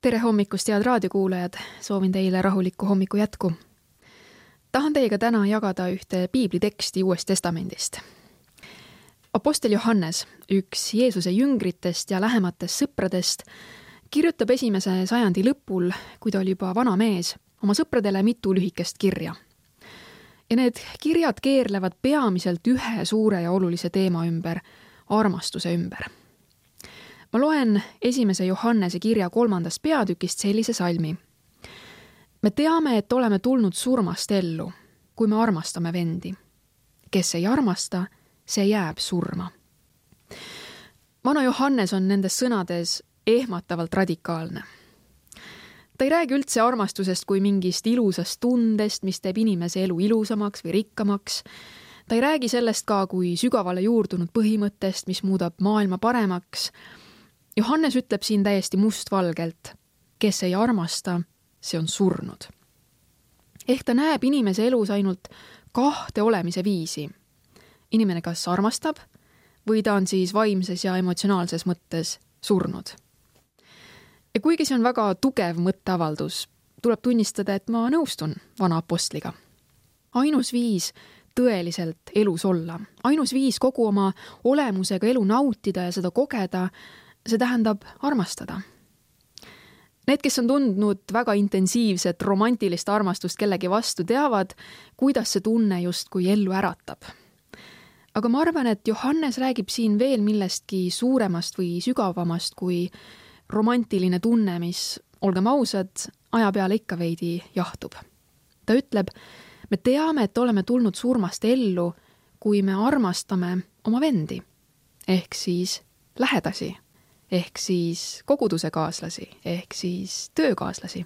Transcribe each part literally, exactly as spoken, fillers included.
Tere hommikust, head raadiokuulajad! Soovin teile rahulikku hommiku jätku. Tahan teiega täna jagada ühte piibliteksti Uuest Testamendist. Apostel Johannes, üks Jeesuse jüngritest ja lähematest sõpradest, kirjutab esimese sajandi lõpul, kui ta oli juba vana mees, oma sõpradele mitu lühikest kirja. Ja need kirjad keerlevad peamiselt ühe suure ja olulise teema ümber, armastuse ümber. Ma loen esimese Johannese kirja kolmandast peatükist sellise salmi. Me teame, et oleme tulnud surmast ellu, kui me armastame vendi. Kes ei armasta, see jääb surma. Vana Johannes on nendes sõnades ehmatavalt radikaalne. Ta ei räägi üldse armastusest kui mingist ilusast tundest, mis teeb inimese elu ilusamaks või rikkamaks. Ta ei räägi sellest ka kui sügavale juurdunud põhimõttest, mis muudab maailma paremaks. Johannes ütleb siin täiesti mustvalgelt, kes ei armasta, see on surnud. Ehk ta näeb inimese elus ainult kahte olemise viisi. Inimene kas armastab või ta on siis vaimses ja emotsionaalses mõttes surnud. Ja kuigi see on väga tugev mõtteavaldus, tuleb tunnistada, et ma nõustun vana apostliga. Ainus viis tõeliselt elus olla, ainus viis kogu oma olemusega elu nautida ja seda kogeda, see tähendab armastada. Need, kes on tundnud väga intensiivset romantilist armastust kellegi vastu, teavad, kuidas see tunne justkui ellu äratab. Aga ma arvan, et Johannes räägib siin veel millestki suuremast või sügavamast kui romantiline tunne, mis, olgem ausad, aja peale ikka veidi jahtub. Ta ütleb, me teame, et oleme tulnud surmast ellu, kui me armastame oma vendi, ehk siis lähedasi, ehk siis koguduse kaaslasi, ehk siis töökaaslasi.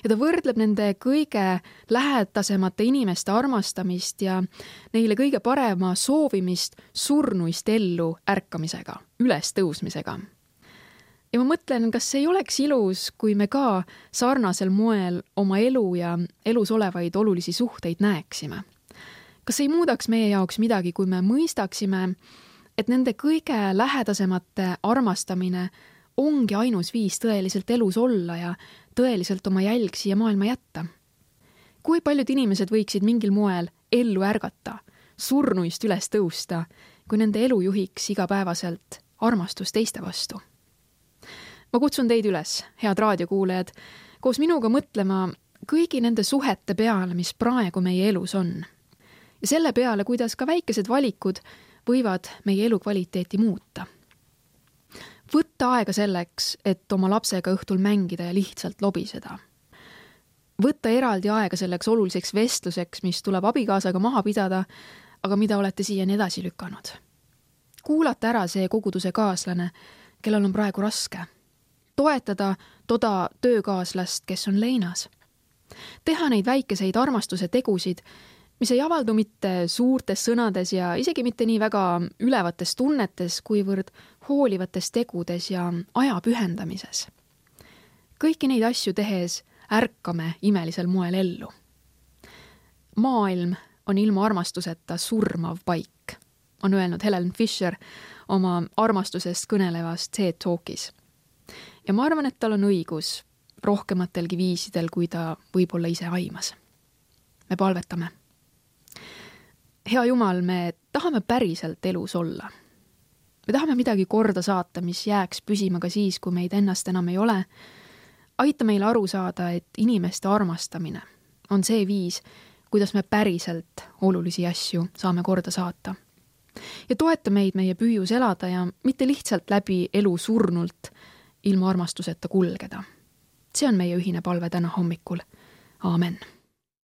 Ja ta võrdleb nende kõige lähedasemate inimeste armastamist ja neile kõige parema soovimist surnuist ellu ärkamisega, üles tõusmisega. Ja ma mõtlen, kas ei oleks ilus, kui me ka sarnasel moel oma elu ja elus olevaid olulisi suhteid näeksime. Kas ei muudaks meie jaoks midagi, kui me mõistaksime, et nende kõige lähedasemate armastamine ongi ainus viis tõeliselt elus olla ja tõeliselt oma jälg siia maailma jätta? Kui paljud inimesed võiksid mingil moel ellu ärgata, surnuist üles tõusta, kui nende elu juhiks igapäevaselt armastus teiste vastu? Ma kutsun teid üles, head raadiokuulajad, koos minuga mõtlema kõigi nende suhete peale, mis praegu meie elus on. Ja selle peale, kuidas ka väikesed valikud võivad meie elukvaliteeti muuta. Võtta aega selleks, et oma lapsega õhtul mängida ja lihtsalt lobiseda. Võtta eraldi aega selleks oluliseks vestluseks, mis tuleb abikaasaga maha pidada, aga mida olete siiani edasi lükanud. Kuulata ära see koguduse kaaslane, kellel on praegu raske. Toetada toda töökaaslast, kes on leinas. Teha neid väikeseid armastuse tegusid, mis ei avaldu mitte suurtes sõnades ja isegi mitte nii väga ülevates tunnetes, kuivõrd hoolivates tegudes ja aja pühendamises. Kõiki neid asju tehes ärkame imelisel moel ellu. Maailm on ilma armastuseta surmav paik, on öelnud Helen Fisher oma armastusest kõnelevast TED Talkis. Ja ma arvan, et tal on õigus rohkematelgi viisidel, kui ta võib-olla ise aimas. Me palvetame. Hea Jumal, me tahame päriselt elus olla. Me tahame midagi korda saata, mis jääks püsima ka siis, kui meid ennast enam ei ole. Aita meil aru saada, et inimeste armastamine on see viis, kuidas me päriselt olulisi asju saame korda saata. Ja toeta meid meie püüus elada ja mitte lihtsalt läbi elu surnult ilma armastuseta kulgeda. See on meie ühine palve täna hommikul. Aamen.